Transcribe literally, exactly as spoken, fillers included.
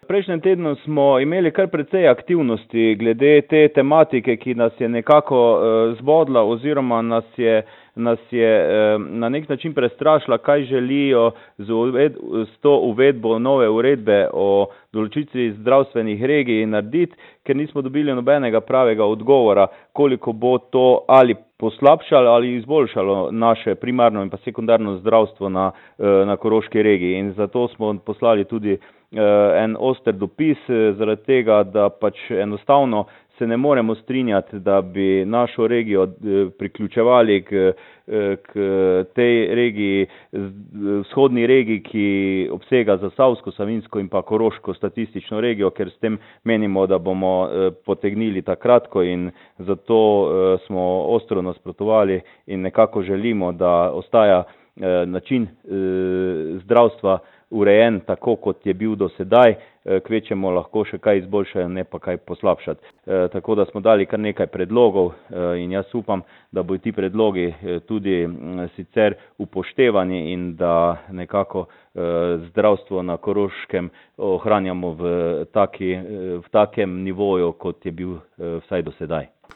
V prejšnjem tednu smo imeli kar precej aktivnosti glede te tematike, ki nas je nekako uh, zbodla oziroma nas je, nas je uh, na nek način prestrašila, kaj želijo z, uved, z to uvedbo nove uredbe o določitvi zdravstvenih regij narediti, ker nismo dobili nobenega pravega odgovora, koliko bo to ali poslabšalo ali izboljšalo naše primarno in pa sekundarno zdravstvo na, na Koroški regiji. In zato smo poslali tudi en oster dopis zaradi tega, da pač enostavno se ne moremo strinjati, da bi našo regijo priključevali k, k tej regiji, vzhodni regiji, ki obsega Zasavsko, Savinjsko in pa Koroško statistično regijo, ker s tem menimo, da bomo potegnili takratko in zato smo ostro nasprotovali in nekako želimo, da ostaja način zdravstva urejen tako, kot je bil do sedaj, kvečemo lahko še kaj izboljšajo, ne pa kaj poslabšati. E, tako da smo dali kar nekaj predlogov e, in jaz upam, da bodo ti predlogi tudi m, sicer upoštevani in da nekako e, zdravstvo na Koroškem ohranjamo v, taki, v takem nivoju, kot je bil e, vsaj do sedaj.